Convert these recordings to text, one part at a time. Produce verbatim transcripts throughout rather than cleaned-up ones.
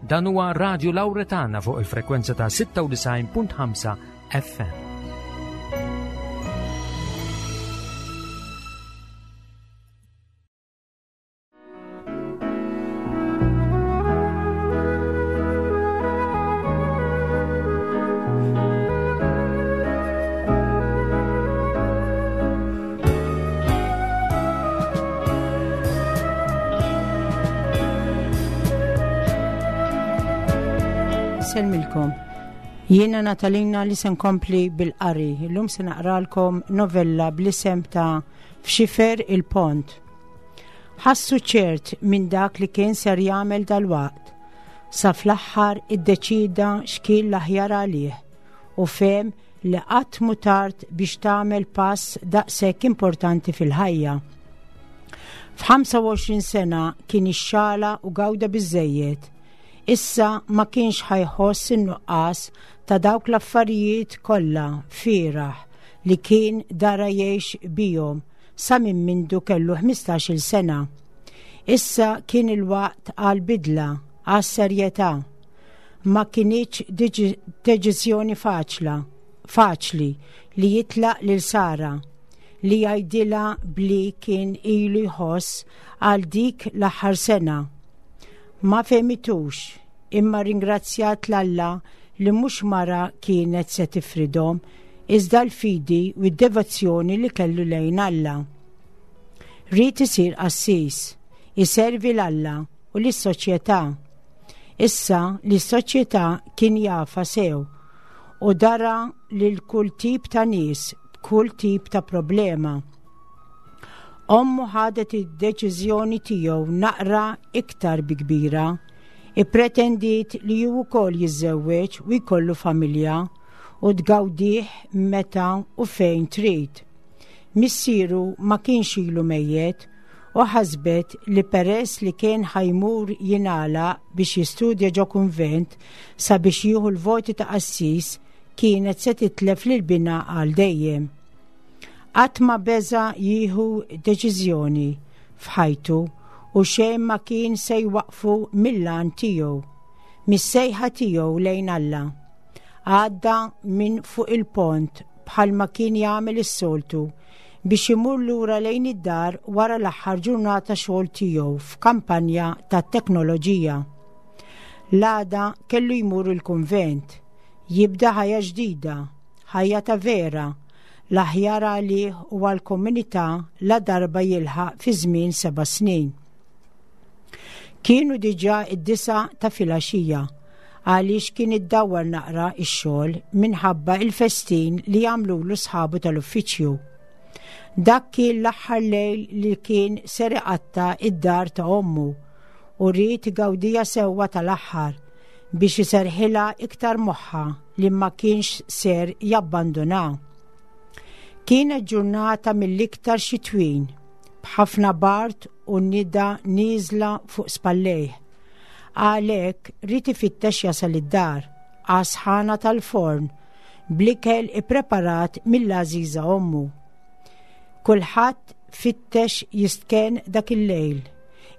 Dan huwa Radio Lauretana fuq il-frekwenza ta' sitta u disgħin punt ħamsa F M. Insellmilkom. Jiena Natalina li se nkompli bil-qari. Illum se naqralkom novella bl-isem ta' F'Xifer il-Pont. Ħassu ċert minn dak li kien ser jagħmel dal-waqt. Sa fl-aħħar iddeċida x'kien l-aħjar għalih u fehem li qatt mhu tard biex tagħmel pass daqshekk importanti fil-ħajja. F'ħamsa u għoxrin sena kien ixxala u gawda biżejjed. Issa ma kienx ħa jħoss in-nuqqas ta' dawk l-affarijiet kollha fieragħ li kien dara jgħix bihom sa minn mindu kellu ħmistax-il sena. Issa kien il-waqt għal bidla, għal serjetà. Ma kinitx deċiżjoni faċla, faċli li jitlaq lil Sara, li jgħidilha bli kien ilu jħoss għal dik l-aħħar sena. Ma fehmitux, imma ringrazzjat 'l Alla li mhux mara kienet se tifridhom, iżda l-fidi u d-devozzjoni li kellu lejn Alla. Ried isir qassis, iservi 'l Alla u lis-soċjetà. Issa li s-soċjetà kien jafha sew u dara lil kull tip ta' nies b'kull tip ta' problema. Ommu ħadet id-deċiżjoni tiegħu naqra iktar bi kbira. Ippretendiet li hu wkoll jiżżewweġ u jkollu familja u tgawdih meta u fejn trid. Missieru ma kienx ilu mejjet u ħasbet li peress li kien ħa jmur jingħalaq biex jistudja ġo kunvent sabiex jieħu l-voti ta' qassis, kienet se titlef lil binha għal dejjem. Qatt ma beża jieħu deċiżjoni f'ħajtu u xejn ma kien se jwaqfu mill-għan tiegħu, mis-sejħa tiegħu lejn Alla. Għadda minn fuq il-pont bħalma kien jagħmel is-soltu biex imur lura lejn id-dar wara l-aħħar ġurnata xogħol tiegħu f'kampanja ta' teknoloġija. L-għada kellu jmur il-kunvent, jibda ħajja ġdida, ħajja ta' vera, l-aħjar għalih u għal-komunità la darba jilħaq fi żmien seba' snin. Kienu diġà id-disgħa ta' filgħaxija għaliex kien iddawwar naqra ix-xogħol minħabba il-festin li jagħmlulu sħabu tal-uffiċċju. Dak kien l-aħħar lejl li kien ser iqatta' id-dar ta' ommu u ried igawdiha sewwa tal-aħħar biex iserħilha iktar moħħa li ma kienx ser jabbanduna. Kienet ġurnata mill-iktar xitwin, b'ħafna bard u nida nieżla fuq spallejh. Għalhekk ried ifittex jasal id-dar, għas-sħana tal-forn, bl-ikel ippreparat mill-għażiża ommu. Kulħadd fittex jistken dak il-lejl,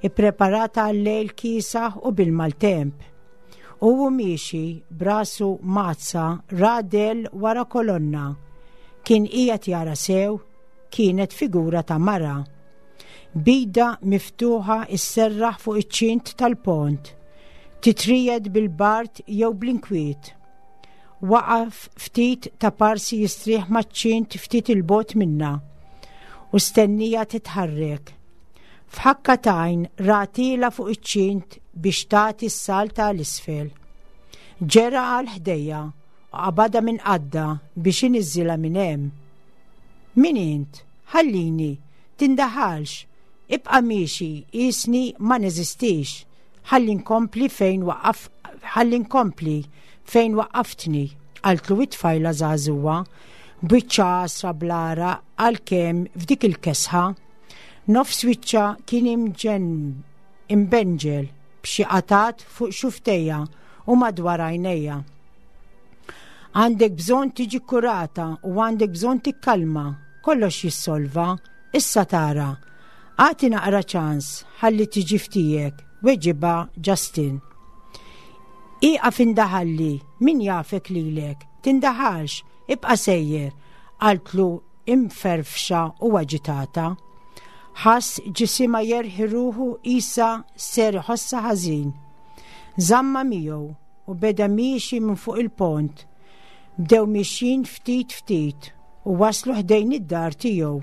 ippreparat għal-lejl kiesaħ u bil-maltemp. U miexi b'rasu mgħaddsa ra dell wara kolonna. Kien qiegħed jara sew, kienet figura ta' mara. B'idha miftuħa isserraħ fuq iċ-ċint tal-pont, titriegħed bil-bard jew bl-inkwiet. Waqaf ftit ta' parsi jistrieħ maċ-ċint ftit 'il bogħod minnha u stennieha titħarrek. F'ħakka t'għajn raha tielgħa fuq iċ-ċint biex tagħti s-salta 'l isfel. Ġera għal ħdejha u qabadha minn qaddha biex iniżżilha minn hemm. "Min int? Ħallini, tindaħalx, ibqa' miexi qisni ma neżistix, ħalli nkompli fejn waqaf ħalli nkompli fejn waqqaftni," qaltlu it-tfajla żagħżugħa, b'wiċċha għasra bl-għaraq għalkemm f'dik il-kesħa. Nofs wiċċha kien imġen imbenġel b'xi qatat fuq xufftejha u madwar għajnejha. "Għandek bżonn tiġi kurata u għandek bżonn tikkalma, kollox jissolva, issa tara. Agħti naqra ċans, ħalli tiġi f'tiegħek," weġibha Justin. Ieqaf indaħalli, min jafek lilek, tindaħalx, ibqa' sejjer, qaltlu imferfxa u aġitata. Ħass ġisimha jerħi ruħu qisha ser iħossha ħażin. Żammha miegħu u beda miexi minn fuq il-pont. Bdew miexjin ftit ftit u waslu ħdejn id-dar tiegħu.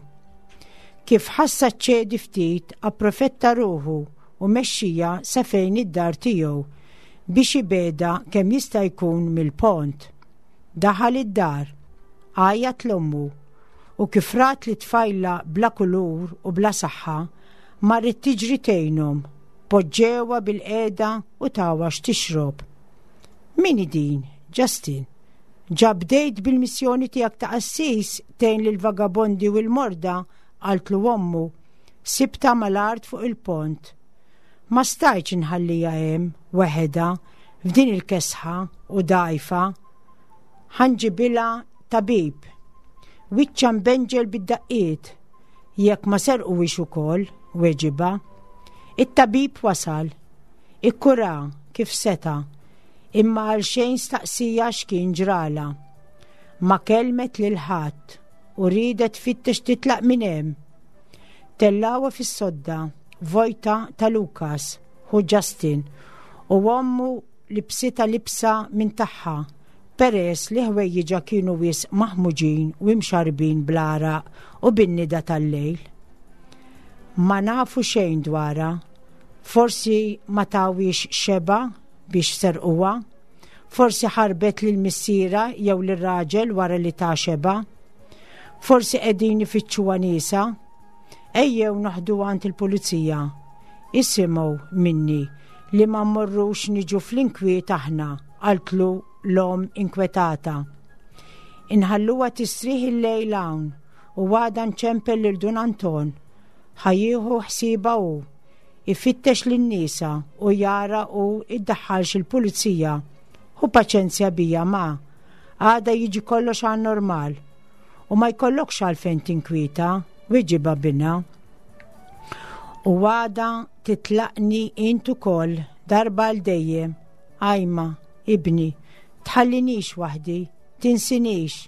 Kif ħassa ċedi ftit, approfetta ruħu u mexxija sa fejn id-dar tiegħu biex ibegħedha kemm jista' jkun mill-pont. Daħal id-dar, għajjat 'l ommu u kif rat lit-tfajla bla kulur u bla saħħa, marret tiġri tgħinhom, poġġewha bilqiegħda u tawha x'tixrob. Min din, Justin? Ġa bdejt bil-missjoni tiegħek ta' qassis tgħin lil vagabondi u l-morda, qaltlu ommu, sibtha mal-art fuq il-pont. Ma stajtx inħalliha hemm weħidha f'din il-kesħa u dgħajfa. Ħa nġibilha tabib. Wiċċha mbenġel bid-daqqiet, jekk ma serquhiex ukoll, weġibha. It-tabib wasal, ikkura kif seta, imma għal xejn staqsieha x'kien ġralha. Ma kellmet lil ħadd u riedet tfittex titlaq minn hemm. Tellgħuha fis-sodda vojta ta' Lukas, ħu Justin, u ommu libbsitha libsa minn tagħha, peress li ħwejjiġha kienu wisq maħmuġin u imxarbin bl-għaraq u bin-nida tal-lejl. Ma nafu xejn dwarha, forsi ma tawhiex xebgħa biex serquha, forsi ħarbet lil missierha jew lir-raġel wara li ta xebgħa, forsi qegħdin ifittxuha niesha, ejjew noħduha għand il-pulizija. Isimgħu minni li ma mmorrux niġu fl-inkwiet aħna, qaltlu l-omm inkwetata. Inħalluha tistrieħ il-lejl hawn u għada nċempel lil Dun Anton. Ħa jieħu ħsiebha hu, ifittex lin-nies u jara u iddaħħalx il-pulizija. Ħu paċenzja bija ma, għada jiġi kollox għan normal. U ma jkollokx għalfejn tinkwieta, weġibha binha. U għada titlaqni int ukoll darba għal dejjem. Ajma, ibni, tħallinix waħdi, tinsinix,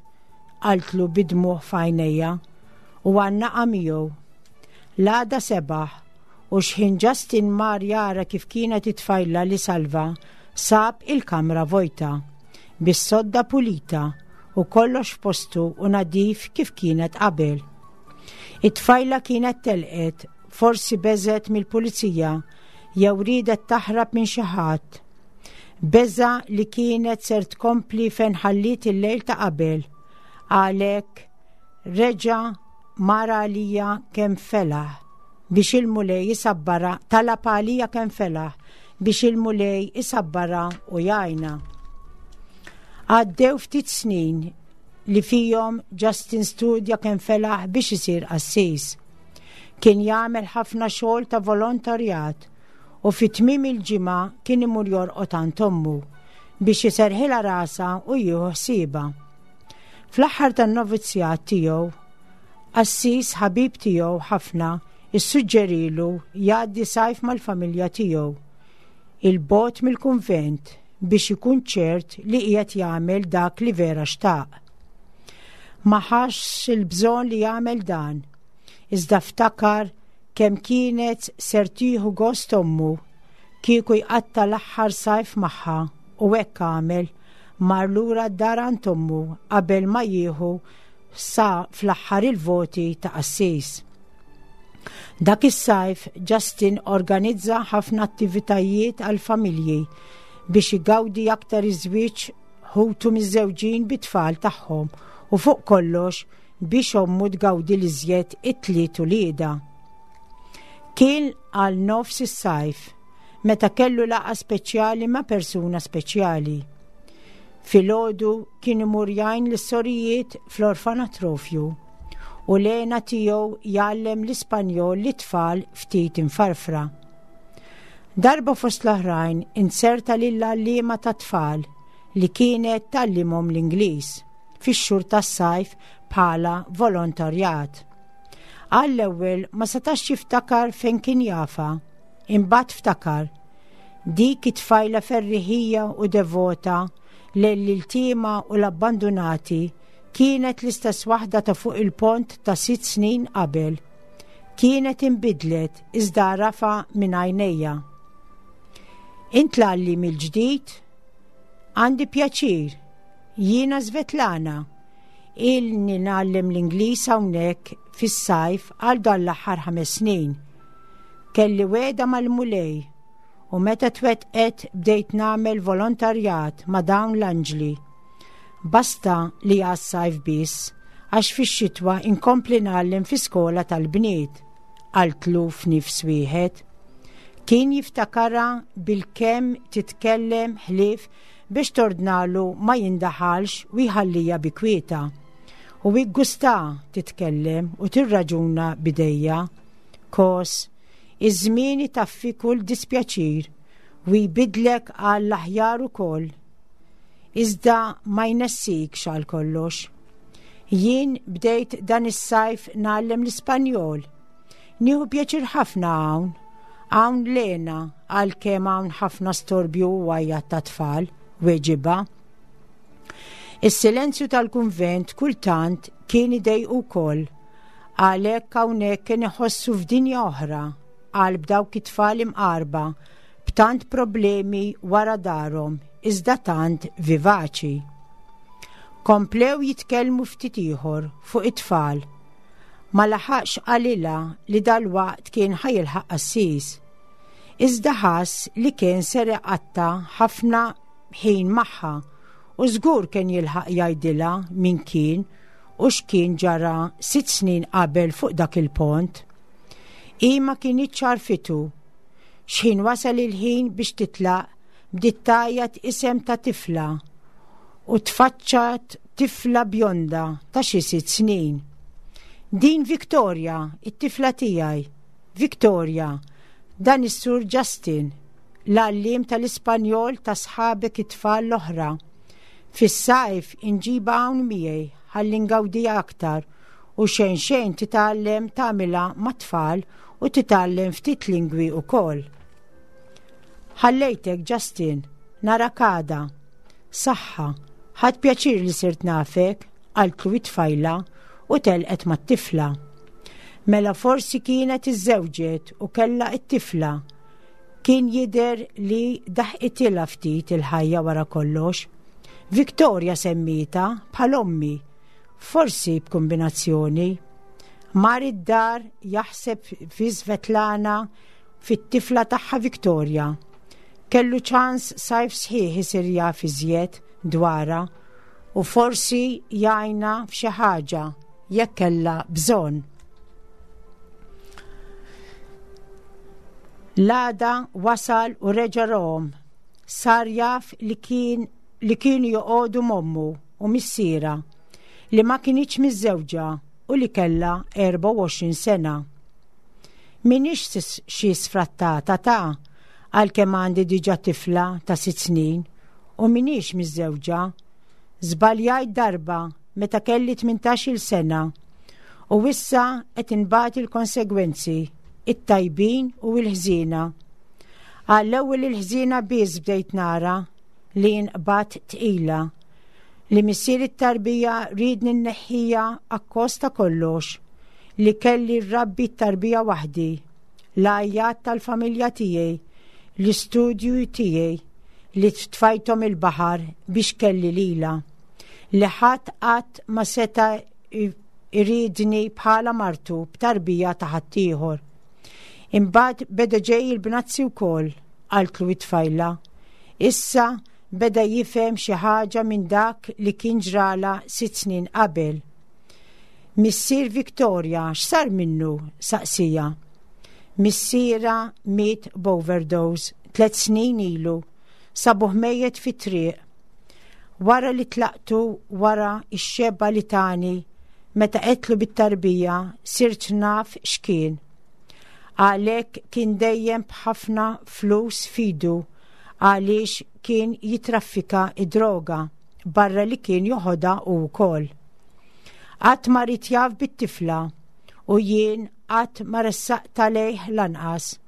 qaltlu bid-dmugħ f'għajnejha u għannaqha miegħu. L-għada sebaħ u xħin Justin mar jara kif kienet it-tfajla li salva, sab il-kamra vojta, bis-sodda pulita u kollox f'postu u nadif kif kienet qabel. It-tfajla kienet telqet, forsi beżgħet mill-pulizija jew riedet taħrab minn xi ħadd. Beża' li kienet ser tkompli fejn ħalliet il-lejl ta' qabel. Għalhekk reġa' mar għaliha kemm felaħ biex il-Mulej isabbarha, talab għaliha kemm felaħ biex il-Mulej isabbarha u jgħinha. Għaddew ftit snin li fihom Justin studja kemm felaħ biex isir qassis. Kien jagħmel ħafna xogħol ta' volontarjat u fi tmiem il-ġimgħa kien imur jorqod għand ommu biex iserħilha rasha u jieħu ħsiebha. Fl-aħħar tan-novizzjat tiegħu, qassis ħabib tiegħu ħafna issuġġerilu jgħaddi sajf mal-familja tiegħu 'il bogħod mill-kunvent biex ikun ċert li qiegħed jagħmel dak li vera xtaq. Ma ħassx il-bżonn li jagħmel dan, iżda ftakar kemm kienet ser tieħu gost ommu kieku jqatta' l-aħħar sajf magħha u hekk għamel mar lura d-dar għand ommu qabel ma jieħu sa fl-aħħar il-voti ta' qassis. Dak is-sajf Justin organizza ħafna attivitajiet għal familji biex igawdi aktar iż-żwieġ ħutu miżżewġin bit-tfal tagħhom u fuq kollox biex ommu tgawdi l-iżjed it-tliet uliedha. Kien għal nofs is-sajf meta kellu laqgħa speċjali ma' persuna speċjali. Filgħodu kien imur jgħin lis-sorijiet fl-orfanatrofju u l-għena tiegħu jgħallem l-Ispanjol lit-tfal ftit imfarfra. Darba fost l-oħrajn inzerta lill-għalliema ta' tfal li kienet tgħallimhom l-Ingliż fix-xhur tas-sajf bħala volontarjat. Għall-ewwel ma setax jiftakar fejn kien jafha, imbagħad ftakar. Dik it-tfajla ferriħija u devota lejn l-iltiema u l-abbandunati kienet l-istess waħda ta' fuq il-pont ta' sitt snin qabel. Kienet inbidlet iżda għarafha minn għajnejha. Int l-għalliem il-ġdid? Għandi pjaċir. Jiena Svetlana. Ilni ngħallem l-Ingliż hawnhekk fis-sajf għal dan l-aħħar ħames snin. Kelli wegħda mal-Mulej u meta twettqet bdejt nagħmel volontarjat ma' dawn l-anġli. Basta li għas-sajf biss, għax fix-xitwa inkompli ngħallem fi skola tal-bniet, qaltlu f'nifs wieħed. Kien jiftakarha bilkemm titkellem ħlief biex tordnalu ma jindaħalx u jħallija bi kwietha. U iggusta titkellem u tirraġuna b'idejha. Kos, iż-żmien itaffi kull dispjaċir u jbidlek għall-aħjar ukoll. Iżda ma jnessikx għal kollox. Jien bdejt dan is-sajf ngħallem l-Ispanjol. Nieħu pjaċir ħafna hawn. Hawn l-hena għalkemm hawn ħafna storbju u għajat ta' tfal, weġibha. Is-silenzju tal-kunvent kultant kien idejqu wkoll. Għalhekk hawnhekk kien iħossu f'dinja oħra, qalb dawk it-tfal imqarba, b'tant problemi wara darhom, iżda tant vivaċi. Komplew jitkellmu ftit ieħor fuq it-tfal. Ma laħaqx qalilha li dalwaqt kien ħa jilħaq qassis. Iżda ħass li kien ser iqatta' ħafna ħin magħha u żgur kien jilħaq jgħidilha min kien u x'kien ġara sitt snin qabel fuq dak il-pont. Hi ma kinitx għarfitu. X'ħin wasal il-ħin biex titlaq, bdiet tgħajjat isem ta' tifla u tfaċċat tifla bjonda ta' xi sitt snin. Din Victoria, it-tifla tiegħi. Victoria, dan is-Sur Justin, l-għalliem tal-Ispanjol ta' sħabek it-tfal l-oħra. Fis-sajf inġibha hawn miegħi ħalli ngawdiha aktar u xejn xejn titgħallem tagħmilha mat-tfal u titgħallem ftit lingwi wkoll. Ħallejtek Justin, narak għada. Saħħa, ħadt pjaċir li sirt nafek, qaltlu it-tfajla u telqet mat-tifla. Mela forsi kienet iżżewġet u kellha it-tifla. Kien jidher li daħqitilha ftit il-ħajja wara kollox. Victoria semmietha bħal ommi, forsi b'kombinazzjoni. Mar id-dar jaħseb fi Svetlana fit-tifla tagħha Victoria. Kellu ċans sajf sħiħ isir jaf iżjed dwarha u forsi jgħinha f'xi ħaġa jekk kellha bżonn. L-għada wasal u reġa' rahom. Sar jaf li kien li kienu joqogħdu m'ommu u missiera li ma kinitx miżżewġa u li kellha erbgħa u għoxrin sena. M'iniex xi sfrattata ta' għalkemm għandi diġà tifla ta' sitt snin u m'iniex miżżewġa. Żbaljajt darba meta kelli tmintax-il sena u issa qed inbati l-konsegwenzi, it-tajbin u l-ħżiena. Għall-ewwel il-ħżiena biss bdejt nara li nqbad tqila, li missier it-tarbija riedni nneħħija akkost ta' kollox, li kelli rrabbi t-tarbija waħdi, l-għajjat tal-familja tiegħi, l-istudju tiegħi li tfajthom il-baħar biex kelli lila, li ħadd qatt ma seta' iridni bħala martu b'tarbija ta' ħaddieħor. Imbagħad beda ġej il-bnazzi wkoll, qaltlu it-tfajla. Issa beda jifhem xi ħaġa minn dak li kien ġrala sitt snin qabel. Missier Victoria x'sar minnu? Saqsija. Missiera miet b'overdose tliet snin ilu, sabuh mejjet fit-triq. Wara li tlaqtu wara x-xebba li tani, meta qetlu bit-tarbija, sirt naf x'kien. Għalhekk kien dejjem b'ħafna flus fidu għaliex kien jitraffika id-droga barra li kien joħodha hu wkoll. Qatt ma ried jaf bit-tifla u jien qatt ma ressaqtha lejh lanqas.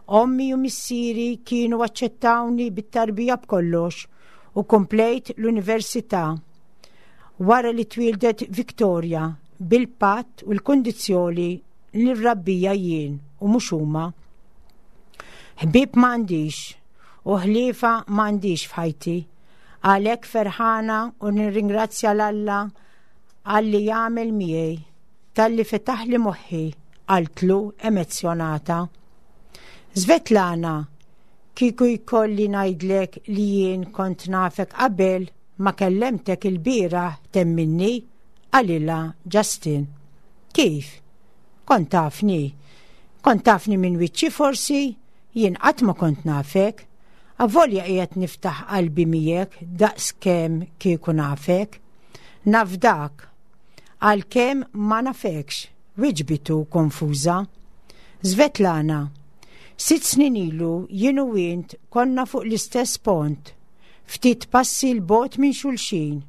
Ommi u missieri kienu aċċettawni bit-tarbija b'kollox u komplejt l-università. Wara li twildet Victoria bil-patt u l-kondizzjoni li nrabbija jien u mhux huma. Ħbieb m'għandix u ħliefa m'għandix f'ħajti. Għalhekk ferħana u nirringrazzja 'l Alla għalli jagħmel miegħi talli fetaħli moħħi, qaltlu emozzjonata. Svetlana, kieku jkolli ngħidlek li jien kont nafek qabel ma kellemtek il-bieraħ temminni, qalilha Justin. Kif? Kont tafni? Kont tafni minn wiċċi forsi? Jien qatt ma kont nafek. Avolja qiegħed niftaħ qalbi miegħek daqs kemm kieku nafek. Nafdak. Għalkemm ma nafekx, wiġbitu konfuża. Svetlana, sitt snin ilu jien u int konna fuq l-istess pont, ftit passi 'l bogħod minn xulxin.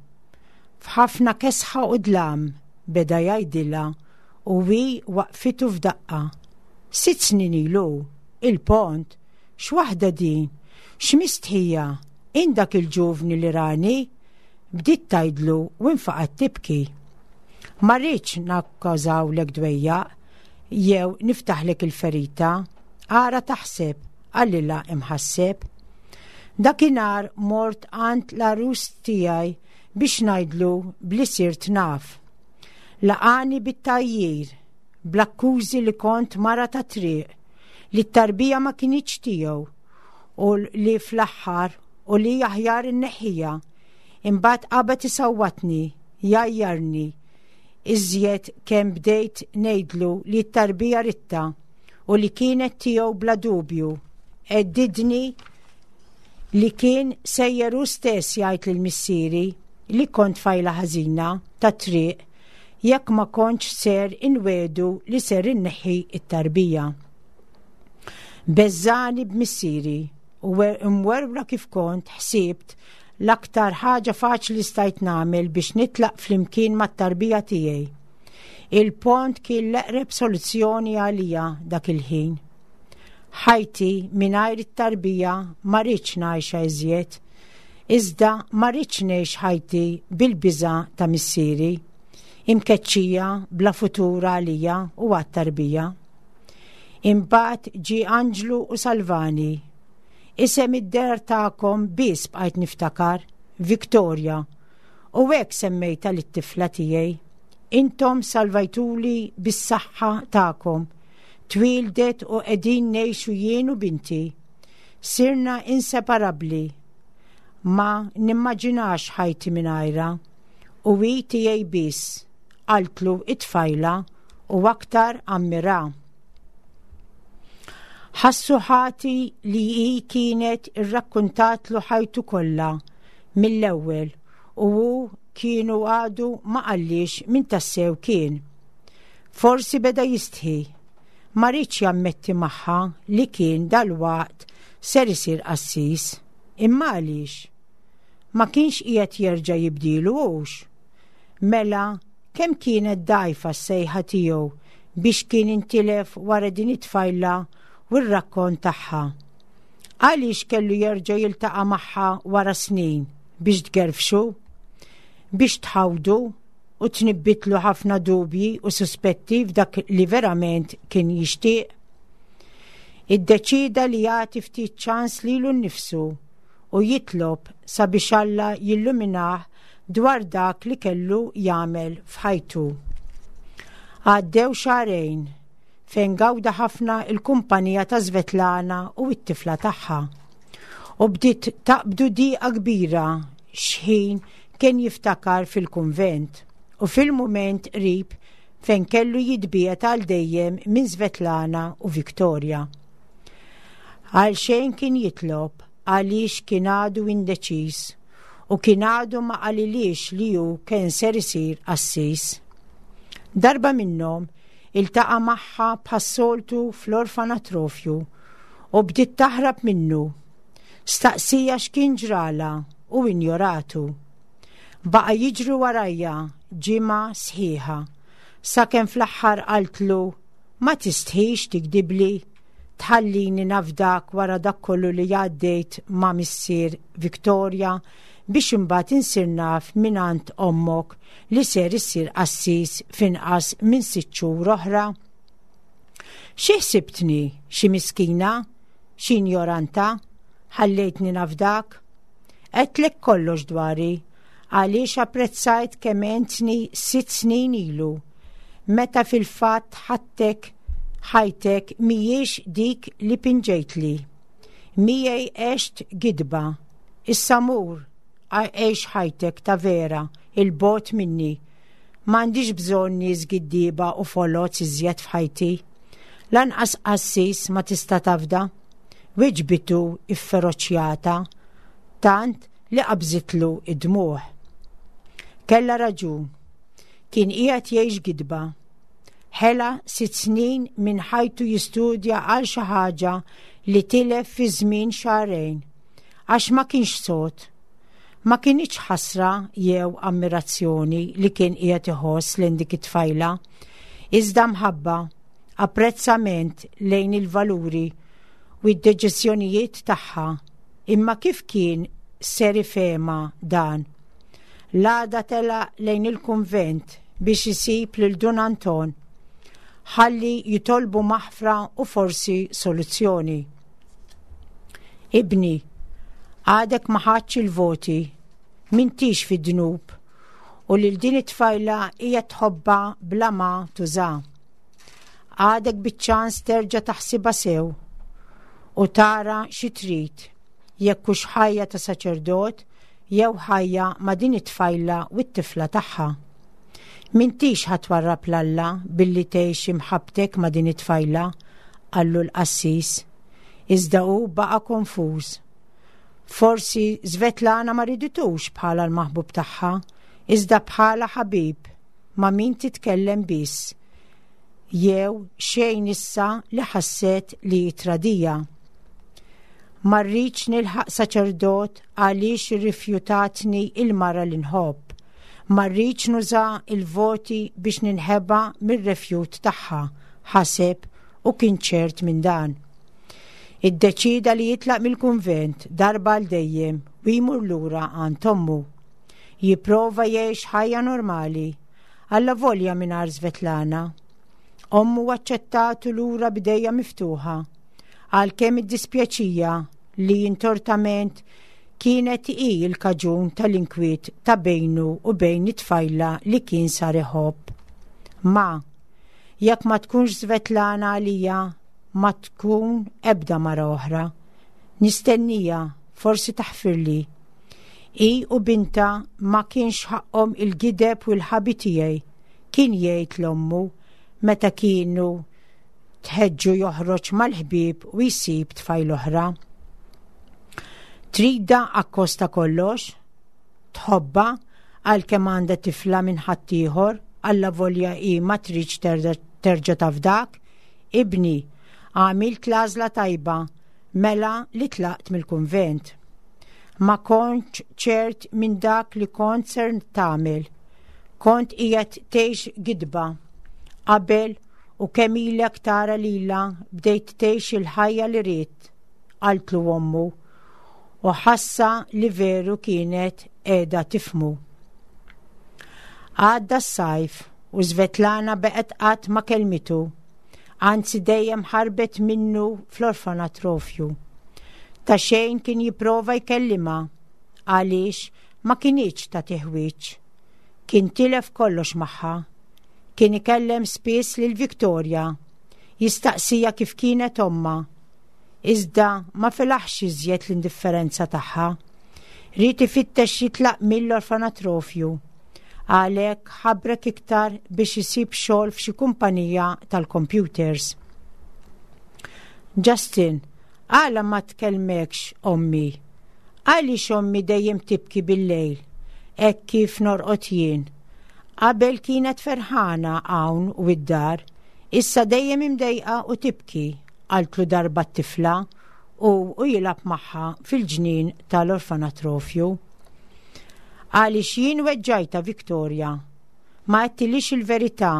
F'ħafna kesħa u dlam, beda jgħidilha u hi waqfitu f'daqqa. Sitt snin ilu, il-pont, x'waħda din, x'mistħija, int dak il-ġuvni li rani, bdiet tgħidlu u infaqat tibki. Ma rridx nikkawżalek dwejjaq, jew niftaħlek il-ferita, ara taħseb, qalilha imħasseb. Dakinhar mort għand l-għarus tiegħi biex ngħidlu bli sirt naf. Laqani bit-tgħajjir, bl-akkużi li kont mara ta' triq, li t-tarbija ma kinitx tiegħu u li fl-aħħar u li aħjar inneħħiha. Imbagħad qabad isawwatni, jgħajjarni, iżjed kemm bdejt ngħidlu li t-tarbija ridtha u li kienet tiegħu bla dubju. Heddidni li kien sejjer hu stess jgħid lil missieri li kont tfajla ħażina ta' triq jekk ma kontx ser inwiegħdu li ser inneħħi it-tarbija. Beżżagħni b'missieri u imwerwra kif kont ħsibt l-aktar ħaġa faċli stajt nagħmel biex nitlaq flimkien mat-tarbija tiegħi. Il-pont kien l-eqreb soluzzjoni għalija dak il-ħin. Ħajti mingħajr it-tarbija ma rridx ngħixha iżjed, iżda ma rridx ngħix ħajti bil-biża ta' missieri, imkeċċija bla futur għalija u għat-tarbija. Imbagħad ġie anġlu u salvani. Isem id-dar tagħkom biss bqajt niftakar, Victoria, u hekk semmejta lit-tifla tiegħi. Intom salvajtuli bis-saħħa tagħkom. Twildet u qegħdin ngħixu jien u binti. Sirna inseparabbli. Ma nimmaġinax ħajti mingħajrha. U hi tiegħi biss, qaltlu it-tfajla u aktar ammira. Ħassu ħati li hi kienet irrakkuntatlu ħajtu kollha mill-ewwel u hu kienu għadu ma qallix min tassew kien. Forsi beda jistħi, ma riedx jammetti magħha li kien dal-waqt ser isir qassis, imma għaliex? Ma kienx qiegħed jerġa' jibdilu hux. Mela kemm kienet dgħajfa s-sejħa tiegħu biex kien intilef wara din it-tfajla u r-rakkont tagħha. Għaliex kellu jerġa' jiltaqa' magħha wara snin biex tgerfxu, biex tħawdu u tnibbitlu ħafna dubji u suspetti f'dak li verament kien jixtieq. Iddeċida li jagħti ftit ċans lilu nnifsu u jitlob sabiex Alla jilluminah dwar dak li kellu jagħmel f'ħajtu. Għaddew xahrejn fejn gawda ħafna il-kumpanija ta' Svetlana u t-tifla tagħha. U bdiet taqbdu diqa kbira xħin kien jiftakar fil-kunvent u fil-mument qrib fejn kellu jitbiegħed għal dejjem minn Svetlana u Victoria. Għal xejn kien jitlob għaliex kien għadu indeċis u kien għadu ma qalilhiex li hu kien ser isir qassis. Darba minnhom iltaqa' magħha bħas-soltu fl-orfanatrofju u bdiet taħrab minnu. Staqsieha x'kien ġrala u injoratu. Baqa' jiġri warajha ġimgħa sħiħa, sakemm fl-aħħar qaltlu ma tistħix tigdibli, Tħallini nafdak wara dak kollu li għaddejt ma' missier Victoria biex imbagħad insir naf mingħand ommok li ser issir qassis f'inqas minn sitt xhur oħra? Xi ħsibtni, xi miskina, xi injoranta, ħallejtni nafdak? Għedtlek kollox dwari, għaliex apprezzajt kemm għentni sitt snin ilu, meta fil-fatt ħattek ħajtek mhijiex dik li pinġejtli. Miegħi għext gidba, issa mur, għix ħajtek ta' vera, 'il bogħod minni. M'għandix bżonn nies giddieba u foloz iżjed f'ħajti. Lanqas qassis ma tista' tafda. Weġbitu ifferoċjata, tant li qabżitlu id-dmugħ. Kella raġun, kien qiegħed jgħix gidba. Ħela sitt snin minn ħajtu jistudja għal xi ħaġa li tilef fi żmien xahrejn, għax ma kienx sod. Ma kinitx ħasra jew ammirazzjoni li kien qiegħed iħoss lejn dik it-tfajla, iżda mħabba, apprezzament lejn il-valuri u d-deċiżjonijiet tagħha. Imma kif kien ser ifhimha dan? L-għada telaq lejn il-kunvent biex isib lil Dun Anton, ħalli jitolbu maħfra u forsi soluzzjoni. Ibni, għadek ma ħadtx il-voti, m'intix fid-dnub, u lil din it-tfajla hija tħobbha bla ma tuża. Għadek biċ-ċans terġa' taħsibha sew u tara xi trid, jekk hux ħajja ta' saċerdot jew ħajja ma' din it-tfajla u t-tifla tagħha. M'intix ħa twarrab 'l Alla billi tgħix imħabbtek ma' din it-tfajla, qallu l-qassis. Iżda hu baqa' konfuż. Forsi Svetlana ma riditux bħala l-maħbub tagħha, iżda bħala ħabib ma' min titkellem biss. Jew xejn issa li ħasset li tradiha. Ma rridx nilħaq saċerdot għaliex irrifjutatni il-mara li nħobb. Ma rridx nuża il-voti biex ninħeba mir-refjut tagħha, ħaseb u kien ċert minn dan. Iddeċida li jitlaq mill-kunvent darba għal dejjem u jmur lura għand ommu. Jipprova jgħix ħajja normali, allavolja mingħajr Svetlana. Ommu aċċettatu lura b'idejha miftuħa, għalkemm iddispjaċieha li intortament kienet hi l-kaġun tal-inkwiet ta' bejnu u bejn it-tfajla li kien sar iħobb. Ma, jekk ma tkunx Svetlana għalija, ma tkun ebda mara oħra. Nistennija, forsi taħfirli. Hi u bintha ma kienx ħaqqhom il-gideb u l-ħabi tiegħi, kien jgħid 'l ommu meta kienu tħeġġu joħroġ mal-ħbieb u jsib tfajla oħra. Tridha akkost ta' kollox, tħobbha għalkemm għandha tifla minn ħaddieħor, allavolja hi ma tridx terġa' tafdak, ibni, għamilt l-għażla tajba, mela li tlaqt mill-kunvent. Ma kontx ċert minn dak li kont ser tagħmel. Kont qiegħed tgħix gidba. Qabel u kemm ilek tara lilha bdejt tgħix il-ħajja li ridt, qaltlu ommu, u ħassa li veru kienet qiegħda tifhmu. Għadda s-sajf u Svetlana baqgħet qatt ma kellmitu, anzi dejjem ħarbet minnu fl-orfanatrofju. Ta' xejn kien jipprova jkellimha, għaliex ma kinitx tagħtih wiċċ. Kien tilef kollox magħha. Kien ikellem spiss lil Victoria, jistaqsija kif kienet omma. Iżda ma felaħx iżjed l-indifferenza tagħha. Ried ifittex jitlaq mill-orfanatrofju. Għalhekk ħabrek iktar biex isib xogħol f'xi kumpanija tal-computers. Justin, għala ma tkellmekx ommi? Għaliex ommi dejjem tibki bil-lejl, hekk kif norqod jien? Qabel kienet ferħana hawn u id-dar, issa dejjem imdejqa u tibki, qaltlu darba t-tifla u u jilgħab magħha fil-ġnien tal-orfanatrofju. Għaliex jien weġġajtha Victoria, ma għedtilhiex il-verità.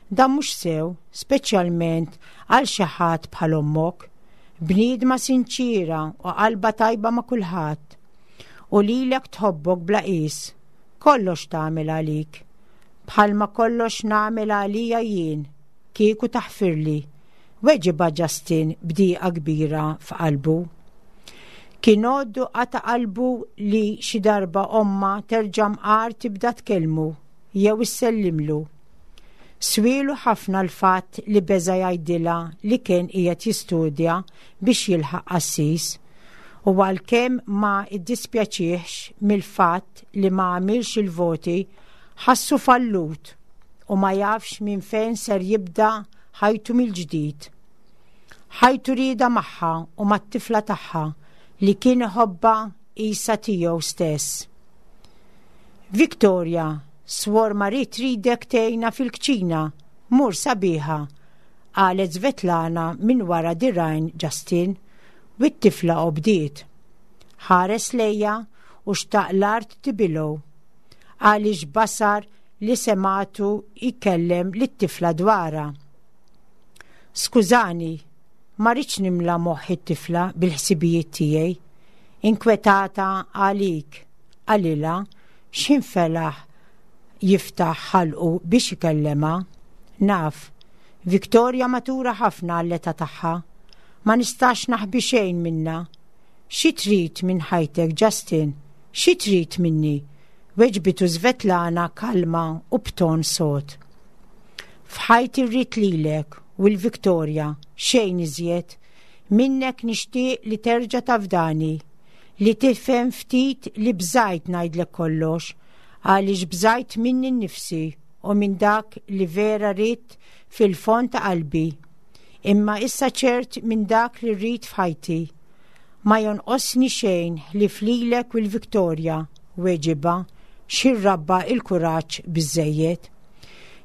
Dan mhux sew, speċjalment għal xi ħadd bħal ommok. Bniedma sinċira u qalba tajba ma' kulħadd. U lilek tħobbok bla qis. Kollox tagħmel għalik. Bħalma kollox nagħmel għalija jien, kieku taħfirli. Weġibha Justin b'dieqa kbira f'qalbu. Kien għoddu qata' qalbu li xi darba omma terġa' mqar tibda tkellmu jew issellimlu. Swielu ħafna l-fatt li beża' jgħidilha li kien qiegħed jistudja biex jilħaq qassis u għalkemm ma iddispjaċihx mill-fatt li ma għamilx il-voti, ħassu fallut u ma jafx minn fejn ser jibda ħajtu mill-ġdid. Ħajtu rieda magħha u mat-tifla tagħha li kien iħobbha qisha tiegħu stess. Victoria, Swor Marie tridek tgħinha fil-kċina, mur sabiħa, qalet Svetlana minn wara dirgħajn Justin u t-tifla obdiet. Ħares lejha u xtaq l-art tibilgħu. Għaliex basar li semgħatu jkellem lit-tifla dwarha. Skużani, ma rridx nimla moħħ it-tifla bil-ħsibijiet tiegħi. Inkwetata għalik, qalilha x'ħin felaħ jiftaħ ħalqu biex ikellema. Naf, Victoria matura ħafna għall-età tagħha. Ma nistax naħbi xejn minna. Xi trid minn ħajtek, Justin? Xi trid minni? Weġbitu Svetlana kalma u b'ton sod. F'ħajti rrid lilek u l-Victoria, xejn iżjed. Minnek nixtieq li terġa' tafdani, li tifhem ftit li bżajt ngħidlek kollox, għaliex bżajt minni nnifsi u minn dak li vera rrid fil-fond ta' qalbi. Imma issa ċert minn dak li rrid f'ħajti. Ma jonqosni xejn li flilek u l-Victoria, weġibha, xirrabba il-kuraġġ biżżejjed.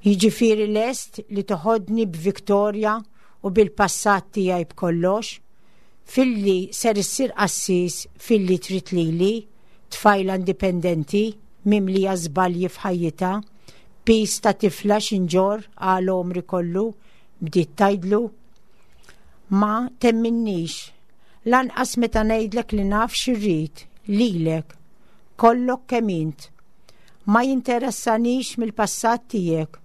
Jiġifieri lest li toħodni b'Victoria u bil-passat tiegħi b'kollox, filli ser issir qassis filli trid lili, tfajla indipendenti, mimlija żbalji f'ħajjitha, piż ta' tifla x'inġorr għal għomri kollu, bdiet tgħidlu. Ma temminnix, lanqas meta ngħidlek li naf x'irrid, lilek, kollok kemm int. Ma jinteressanix mill-passat tiegħek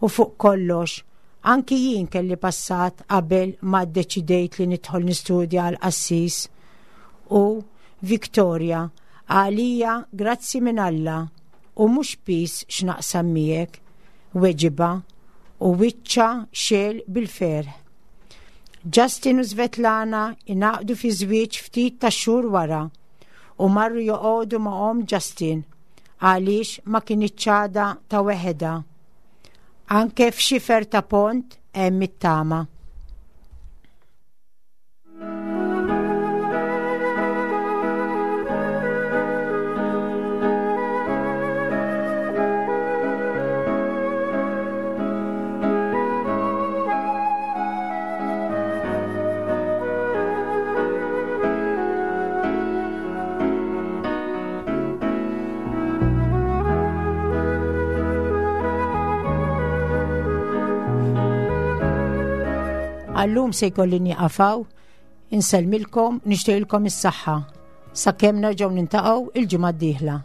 u fuq kollox, anki jien kelli passat qabel ma ddeċidejt li nidħol nistudja għal qassis. U Victoria, għalija grazzi minn Alla u mhux piż x'naqsam miegħek, weġibha u wiċċha xegħel bil-ferħ. Justin u Svetlana ingħaqdu fi żwieġ ftit ta' xhur wara u marru joqogħdu ma' omm Justin għaliex ma kinitx għadha ta' weħedha. Anke f'xifer ta' pont hemm it-tama. Għallum se jkolli nieqafaw, insellmilkom, nixtieqilkom is-saħħa. Sakemm nerġgħu nintaqgħu il-ġimgħa d-dieħla.